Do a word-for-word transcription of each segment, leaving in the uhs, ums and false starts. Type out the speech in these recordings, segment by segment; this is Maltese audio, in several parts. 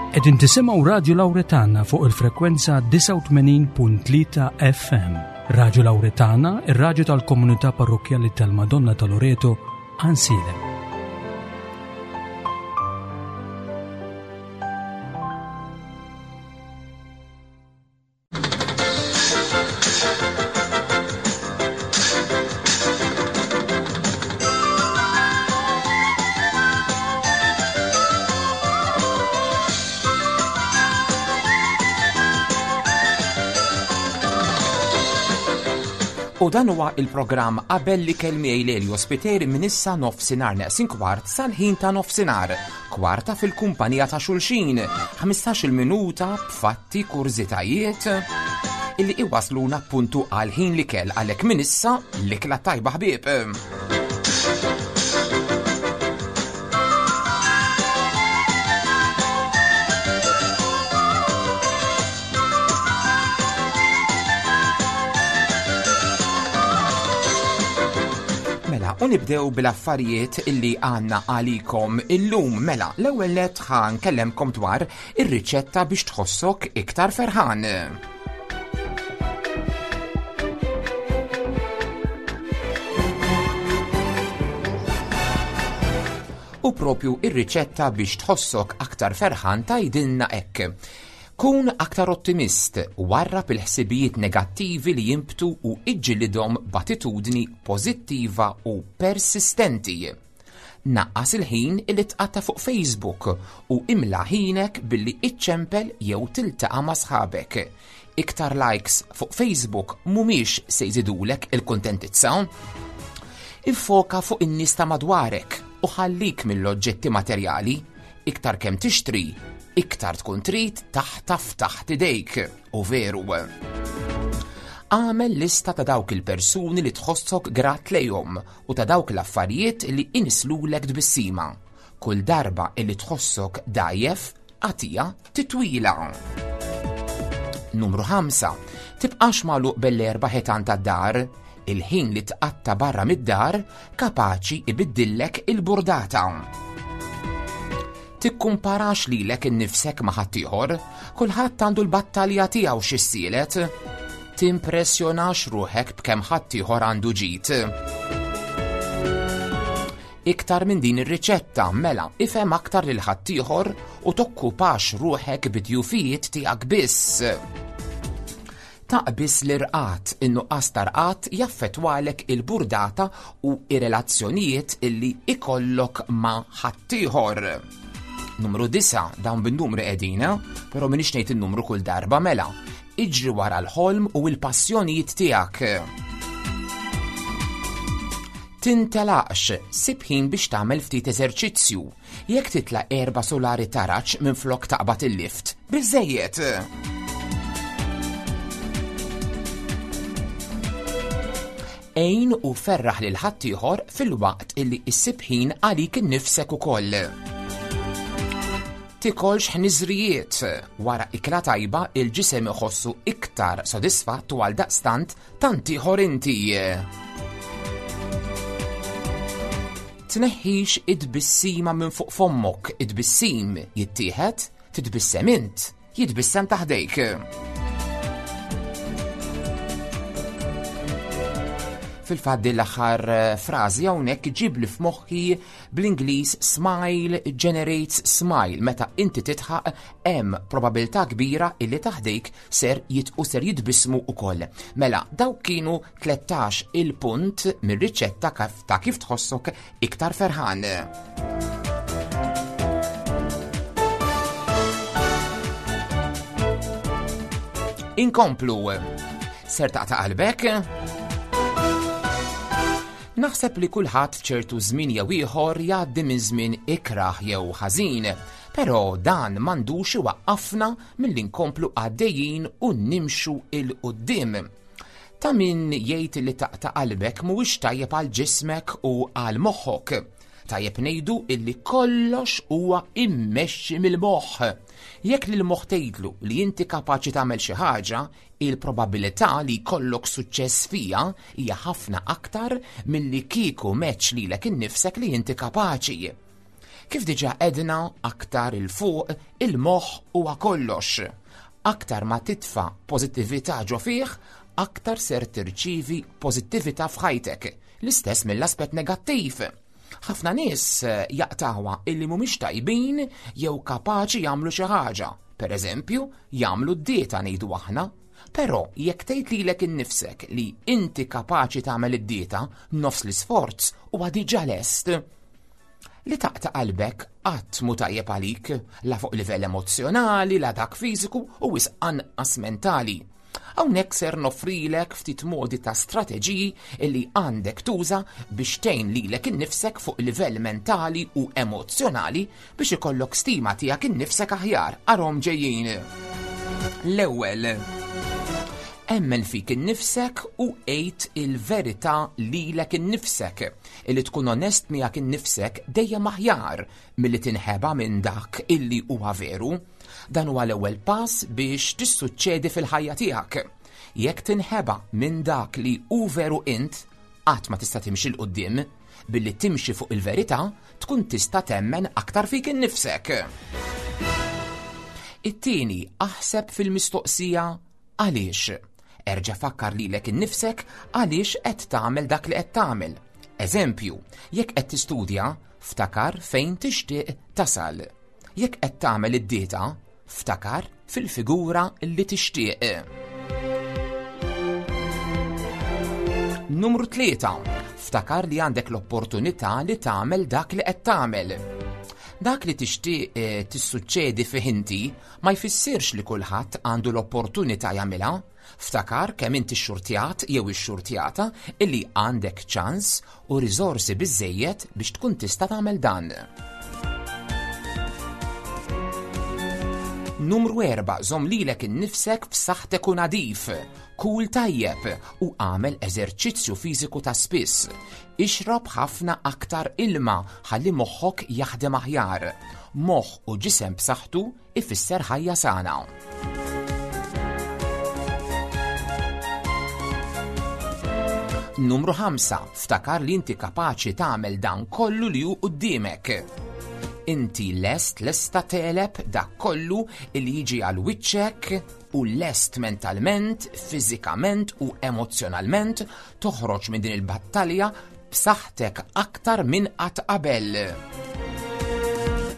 Qegħdin tisimgħu Radio Lauretana fuq il-frekwenza disgħa u tmenin punt tlieta F M. Radio Lauretana, ir-radju tal-Komunità Parrokkjali tal-Madonna ta' Loreto, Għajnsielem. U dan huwa il-programm Qabel l-Ikel miegħi Lelio Spiteri minn issa nofsinhar neqsin kwart sal-ħin ta' nofsinhar. Kwarta fil-kumpanija ta' xulxin, ħmistax-il minuta b'fatti, kurżitajiet illi iwasluna puntu għal ħin l-ikel, għalhekk minn issa l-ikla tajba, ħbieb. Mela, u nibdew bil-affarijiet illi għandna għalikom illum. Mela, l-ewwel nett ħa nkellemkom dwar ir-riċetta biex tħossok iktar ferħan. U propju ir-riċetta biex tħossok aktar ferħan tgħidilna hekk. Kun aktar ottimist, warrab il-ħsibijiet negattivi li jimbtu u iġġilidhom b'attitudni pożittiva u persistenti. Naqqas il-ħin illi tqatta fuq Facebook u imla ħinek billi iċċempel jew tiltaqa' ma' sħabek. Iktar likes fuq Facebook mhumiex se jżidulek il-kuntentizza. Iffoka fuq in-nies ta' madwarek u ħallik mill-oġġetti materjali. Iktar kemm tixtri, iktar tkun trid taħtaf taħt idejk, u veru. Agħmel lista ta' dawk il-persuni li tħossok grat lejhom u ta' dawk l-affarijiet li inislulek tbissima. Kull darba illi tħossok dgħajjef, agħtiha titwila. Numru ħamsa. Tibqax magħluq bl-erba' ħitan tad-dar. Il-ħin li tqatta barra mid-dar kapaċi ibiddillek il-burdata. Tikkumparax lilek innifsek ma' ħaddieħor, kulħadd għandu l-battalja tiegħu x'issielet. Timpressjonax ruħek b'kemm ħaddieħor għandu ġid. Iktar minn din ir-riċetta, mela, ifhem aktar lil ħaddieħor u tokkupax ruħek bid-djufijiet tiegħek biss. Taqbiż l-irqad, in-nuqqas ta' jaffettwalek il-burdata u ir-relazzjonijiet illi ikollok ma' ħaddieħor. Numru disgħa, dawn bin-numru qegħdin, però m'iniex ngħid in-numru kull darba. Mela. Iġri wara l-ħolm u l-passjonijiet tiegħek. Tintelaqx, sib ħin biex tagħmel ftit eżerċizzju. Jekk titla' erba' solari taraġ minn flok taqbad il-lift, biżejjed. Għin u ferraħ lil ħaddieħor filwaqt illi issib ħin għalik innifsek ukoll. Tikolx ħniżrijiet. Wara ikla tajba il-ġisem iħossu iktar sodisfatt u għal daqstant tant ieħor inti. Tneħħix id-tbissima minn fuq fommok, id-tbissim jittieħed, titbissem int, jitbissem ta' ħdejk. Fil-fatt din l-aħħar eh, frażi hawnhekk ġib li f'moħħi bl-Ingliż "smile generates smile". Meta inti tidħaq, hemm probabilità kbira illi ta' ħdejk ser jitqu ser jitbismu ukoll. Mela, dawk kienu tlettax il-punt mir-riċetta ta' kif tħossok iktar ferħan. Inkomplu. Ser taqta' qalbek? Naħseb li kulħadd f'ċertu żmien jew ieħor jgħaddi minn żmien ikrah jew ħażin, però dan m'għandux iwaqqafna milli nkomplu għaddejjin u nimxu 'l quddiem. Ta' min jgħid li taqta' qalbek mhuwiex tajjeb għal ġismek u għal moħħok. Tajjeb ngħidu illi kollox huwa immexxi mill-moħħ. Jekk lil moħħ tgħidlu li inti kapaċi tagħmel xi ħaġa, il-probabilità li jkollok suċċess fija hija ħafna aktar milli kieku m'għedtx lilek innifsek li inti kapaċi. Kif diġà għedna aktar 'il fuq, il-moħħ huwa kollox. Aktar ma titfa' pożittività ġo fih, aktar ser tirċivi pożittività f'ħajtek. L-istess mill-aspett negattiv. Ħafna nies eh, jaqtgħuha illi mhumiex tajbin jew kapaċi jagħmlu xi ħaġa. Per eżempju, jagħmlu d-dieta ngħidu aħna. Però jekk tgħid lilek innifsek li inti kapaċi tagħmel id-dieta, nofs l-isforz huwa diġà lest. Li taqta' qalbek qatt mhu tajjeb għalik, la fuq livell emozzjonali, la dak fiżiku u wisq anqas mentali. Hawnhekk ser noffrilek ftit modi ta' strateġiji illi għandek tuża biex tgħin lilek innifsek fuq livell mentali u emozzjonali biex ikollok stima tiegħek innifsek aħjar. Arahom ġejjin. L-ewwel, emmen fik innifsek u għid il-verità lilek innifsek. Illi tkun onest miegħek innifsek dejjem aħjar milli tinħeba minn dak illi huwa veru. Dan huwa l-ewwel pass biex tissuċċedi fil-ħajja tiegħek. Jekk tinħeba minn dak li hu veru int, qatt ma tista' timxi 'l quddiem, billi timxi fuq il-verità tkun tista' temmen aktar fik innifsek. It-tieni, aħseb fil-mistoqsija għaliex. Erġa' fakkar lilek innifsek għaliex qed tagħmel dak li qed tagħmel. Eżempju, jekk qed tistudja, ftakar fejn tixtieq tasal. Jekk qed tagħmel id-dieta, ftakar fil-figura li tixtieq. Numru tlieta, ftakar li għandek l-opportunità li tagħmel dak li qed tagħmel. Dak li tixtieq, eh, tissuċċedi fih inti ma jfissirx li kulħadd għandu l-opportunità jagħmilha. Ftakar kemm inti xxurtjat jew ix-xurtjata illi għandek ċans u riżorsi biżżejjed biex tkun tista' tagħmel dan. Numru erba', żomm lilek innifsek f'saħħtek u nadif. Kul tajjeb u għamel eżerċizzju fiżiku ta' spiss. Ixrob ħafna aktar ilma ħalli moħħok jaħdem aħjar. Moħħ u ġisem b'saħħtu ifisser ħajja sana. Numru ħamsa, ftakar li inti kapaċi tagħmel dan kollu li hu quddiemek. Inti lest lesta teleb dak kollu li jiġi għal wiċċek u lest mentalment, fiżikament u emozzjonalment toħroġ minn din il-battalja b'saħħtek aktar minn qatt qabel.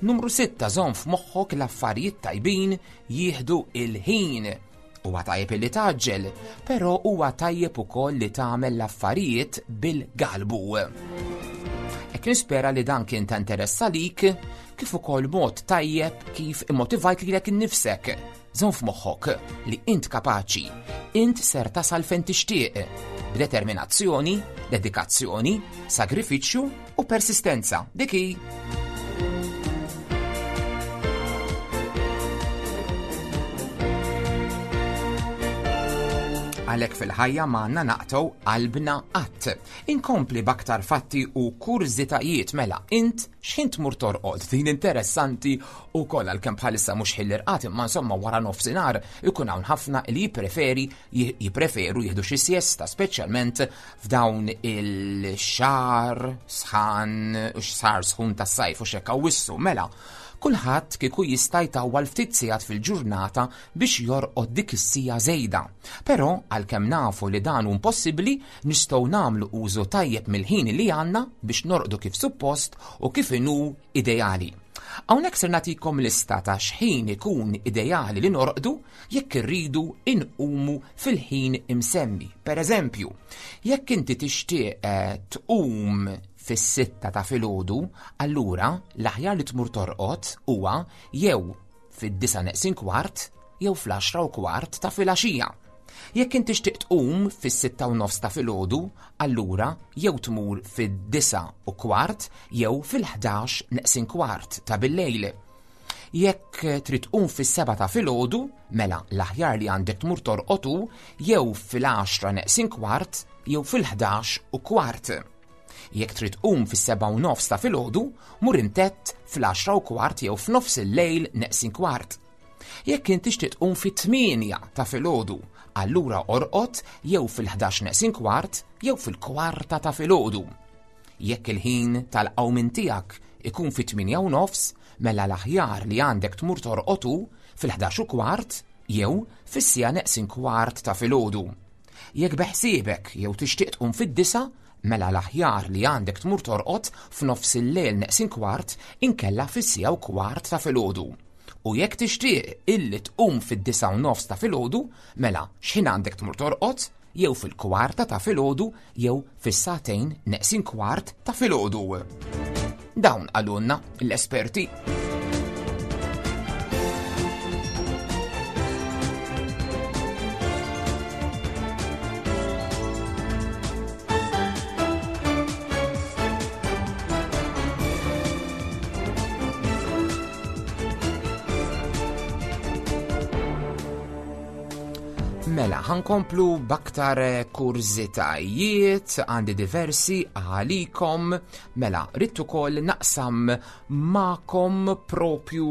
Numru sitta, żomm f'moħħok l-affarijiet tajbin jieħdu il-ħin. Huwa tajjeb li taġġel, però huwa tajjeb ukoll li tagħmel l-affarijiet bil-galbu. Hekk nispera li dan kien ta' interess għalik, kif ukoll mod tajjeb kif immotivajt lilek innifsek. Żomm f'moħħok li int kapaċi, int ser tasal fejn tixtieq, b'determinazzjoni, dedikazzjoni, sagrifiċċju u persistenza. Dik hi. Għalhekk fil-ħajja m'għandna naqtgħu qalbna qatt. Inkompli b'aktar fatti u kurżitajiet mela int x'ħin tmur torqod. Din interessanti wkoll għalkemm bħalissa mhux ħin l-irqad, imma insomma wara nofsinhar ikun hawn ħafna li jippreferi, jippreferu jieħdu xi siesta, speċjalment f'dawn il-xahar sħan, xahar sħun tas-sajf u x'hekk hawn wissu. Mela, kulħadd kieku jista' jtawwal ftit sigħat fil-ġurnata biex jorqod dik is-sija żejda. Però għalkemm nafu li dan hu impossibbli, nistgħu nagħmlu użu tajjeb mill-ħin li għandna biex norqdu kif suppost u kif inhu ideali. Hawnhekk ser nagħtikom lista ta' x'ħin ikun ideali li norqdu jekk irridu inqumu fil-ħin imsemmi. Per eżempju, jekk inti tixtieq, eh, tqum fis-sitta ta' filgħodu, allura l-aħjar li tmur torqod huwa jew fid-disa' neqsin kwart jew fl-għaxra u kwart ta' filgħaxija. Jekk inti tixtieq tqum fis-sitta u nofs ta' filgħodu, allura jew tmur fid-disa' u kwart jew fil-ħdax neqsin kwart ta' billejl. Jekk trid tqum fis-seba' ta' filgħodu, mela l-aħjar li għandek tmur torqod hu jew fil-għaxra neqsin kwart jew fil-ħdax u kwart. Jekk trid tqum fis-seba' u nofs ta' filgħodu, mur imtett fl-għaxra u kwart jew f'nofs il-lejl neqsin kwart. Jekk inti tixtieq tqum fit-tmienja ta' filgħodu, allura orqod jew fil-ħdax neqsin kwart jew fil-kwarta ta' filgħodu. Jekk il-ħin tal-qawmien tiegħek ikun fit-tmienja u nofs, mela l-aħjar li għandek tmur torqod hu fil-ħdax u kwart jew fis-siegħa neqsin kwart ta' filgħodu. Jekk beħsiebek jew tixtieq tqum fid-disgħa, mela l-aħjar li għandek tmur torqod f'nofs il-lejl neqsin kwart inkella fis-siegħa u kwart ta' filgħodu. U jekk tixtieq illi tqum fid-disgħa u nofs ta' filgħodu, mela x'ħin għandek tmur torqod jew fil-kwarta ta' filgħodu jew fis-sagħtejn neqsin kwart ta' filgħodu. Dawn qalulna l-esperti. Mela, ħankomplu b'aktar kurżitajiet, għandi diversi għalikom. Mela, rrid ukoll naqsam magħkom propju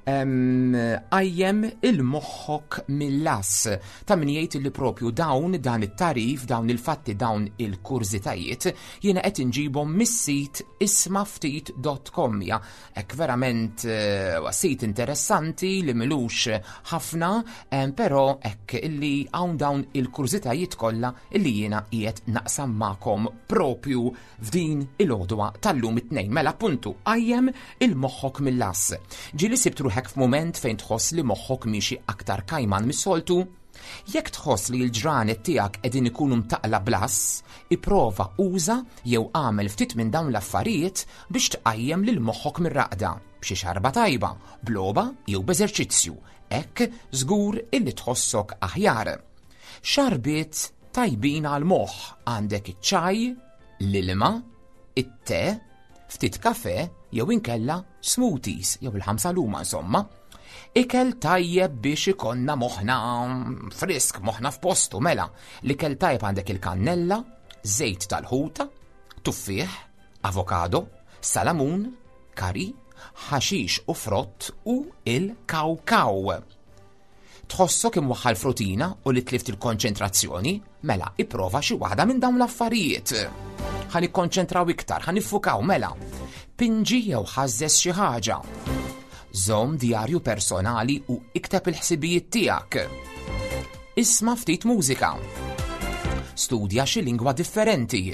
qajjem il-moħħok mill-għass. Ta' min jgħid li propju dawn dan it-tarif, dawn il-fatti, dawn il-kurżitajiet, jiena qed inġibhom mis-sit ismaftit dot com. Ja, hekk verament, eh, sit interessanti li milux ħafna, em, però hekk illi hawn dawn il-kurżitajiet kollha illi jiena qiegħed naqsam magħkom propju f'din il-għodwa tal-lum it-tnejn. Mela appuntu, qajjem il-moħħok mill-għass. Ġieli sibt ruħek f'mument fejn tħoss li moħħok miexi aktar kajman mis-soltu? Jekk tħoss li l-ġranet tiegħek qegħdin ikunu mtaqla blas, ipprova uża jew għamel ftit minn dawn l-affarijiet biex tqajjem lil moħħok mir-raqda, b'xi xarba tajba, b'logħba jew b'eżerċizzju. Hekk żgur illi tħossok aħjar. Xarbiet tajbin għal moħħ għandek iċ-ċaj, l-ilma, it-te, ftit kafe jew inkella smoothies jew il-ħamsa luma insomma. Ikel tajjeb biex ikonna moħħna frisk, moħħna f'postu, mela. L-ikel tajjeb għandek il-kannella, żejt tal-ħuta, tuffieħ, avokado, salamun, kari, ħaxix u frott u il-kawkaw. Tħossok imwaħħal frutina u li tlift il-konċentrazzjoni? Mela, ipprova xi waħda minn dawn l-affarijiet. Ħa nikkonċentraw iktar, ħa niffukaw, mela. Pinġi jew ħażżes xi ħaġa. Żomm djarju personali u ikteb il-ħsibijiet tiegħek. Isma' ftit mużika. Studja xi lingwa differenti.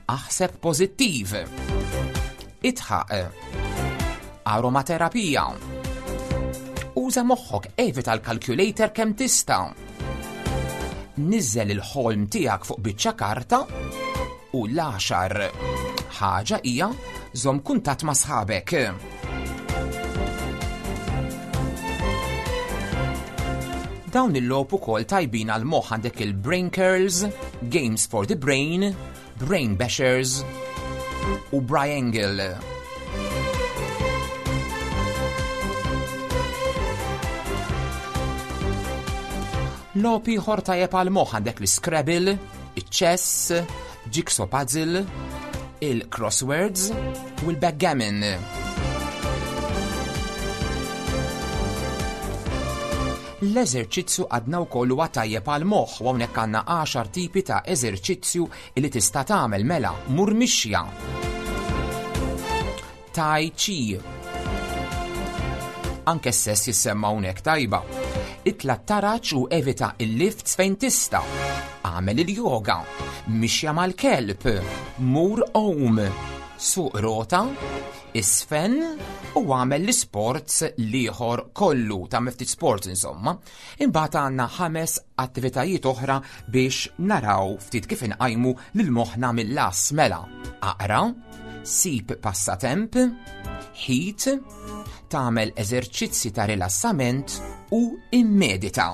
Aħseb pożittiv. Idħaq. Aromaterapija. Uża moħħok, evita l-calculator kemm tista'. Niżżel il-ħolm tiegħek fuq biċċa karta u l-għaxar ħaġa hija żomm kuntatt ma' sħabek. Dawn il-logħob ukoll tajbin għal moħħ għandek il-Brain Curls, Games for the Brain, Brain Bashers u Briangle. Logħob ieħor tajjeb għal moħħ għandek l-Scrabble, iċ-chess, jigsaw puzzle, il-crosswords u l-backgammon. L-eżerċizzju għadna wkoll huwa tajjeb għal moħħ u hawnhekk għandna għaxar tipi ta' eżerċizzju li tista' tagħmel mela mur mixja. Tai chi. Anke s-sess jissemma hawnhekk tajba. Itla' taraġ u evita il-lifts fejn tista'. Agħmel il-yoga, mixja mal-kelb, mur għum, suq rota, isfen u għamel l-sports liħor kollu, ta' ftit sports insomma. Imbagħad għandna ħames attivitajiet oħra biex naraw ftit kif inqajmu lil moħħna mill-las mela. Aqra, sib passatemp, ħit, tagħmel eżerċizzi ta' rilassament u immedita.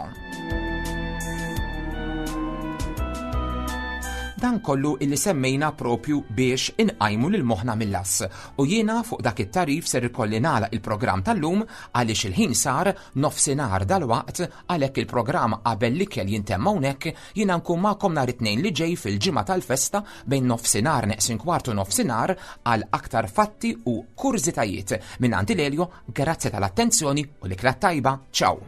Dan kollu illi semmejna propju biex inqajmu lil moħħna mill-las. U jiena fuq dak it-tarif ser ikolli nagħlaq il-programm tal-lum għaliex il-ħin sar nofsinhar dal-waqt, għalhekk il-programm qabel l-ikel jintemm hawnhekk. Jiena nkun magħkom nhar it-tnejn li ġej fil-ġimgħa tal-festa bejn nofsinhar neqsin kwartu nofsinhar għal aktar fatti u kurżitajiet. Minn għandi Lelio, grazzi tal-attenzjoni u l-ikla tajba. Ciao!